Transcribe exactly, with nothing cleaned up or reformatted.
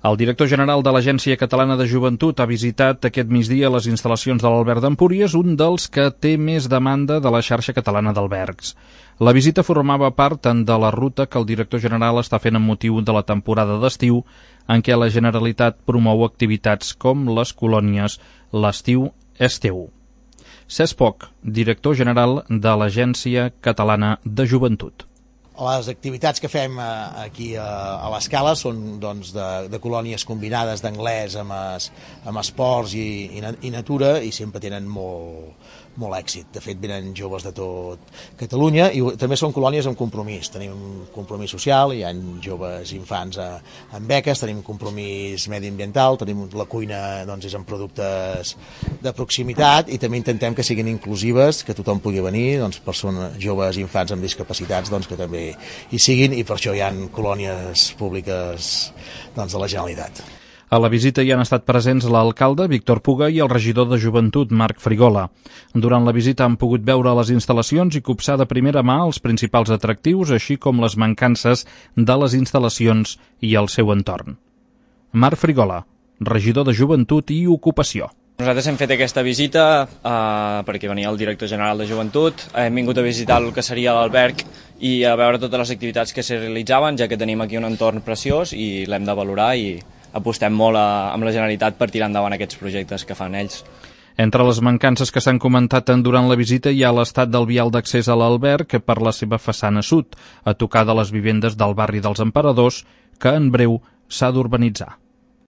El director general de l'Agència Catalana de Joventut ha visitat aquest migdia les instal·lacions de l'Alberg d'Empúries, un dels que té més demanda de la xarxa catalana d'albergs. La visita formava part tant de la ruta que el director general està fent amb motiu de la temporada d'estiu, en què la Generalitat promou activitats com les colònies L'estiu és teu. Cesc Poch, director general de l'Agència Catalana de Joventut. Les activitats que fem aquí a l'Escala són doncs, de, de colònies combinades d'anglès amb, es, amb esports i, i, i natura, i sempre tenen molt, molt èxit. De fet, venen joves de tot Catalunya, i també són colònies amb compromís. Tenim un compromís social, hi ha joves infants a, amb beques, tenim compromís mediambiental, tenim la cuina doncs, és amb productes de proximitat, i també intentem que siguin inclusives, que tothom pugui venir, doncs, persones, joves i infants amb discapacitats, doncs, que també hi siguin, i per això hi ha colònies públiques doncs, de la Generalitat. A la visita hi han estat presents l'alcalde, Víctor Puga, i el regidor de Joventut, Marc Frigola. Durant la visita han pogut veure les instal·lacions i copsar de primera mà els principals atractius, així com les mancances de les instal·lacions i el seu entorn. Marc Frigola, regidor de Joventut i Ocupació. Nosaltres hem fet aquesta visita eh, perquè venia el director general de Joventut, hem vingut a visitar el que seria l'alberg i a veure totes les activitats que s'hi realitzaven, ja que tenim aquí un entorn preciós i l'hem de valorar, i apostem molt a, amb la Generalitat per tirar endavant aquests projectes que fan ells. Entre les mancances que s'han comentat durant la visita hi ha l'estat del vial d'accés a l'alberg per la seva façana sud, a tocar de les vivendes del barri dels Emperadors, que en breu s'ha d'urbanitzar.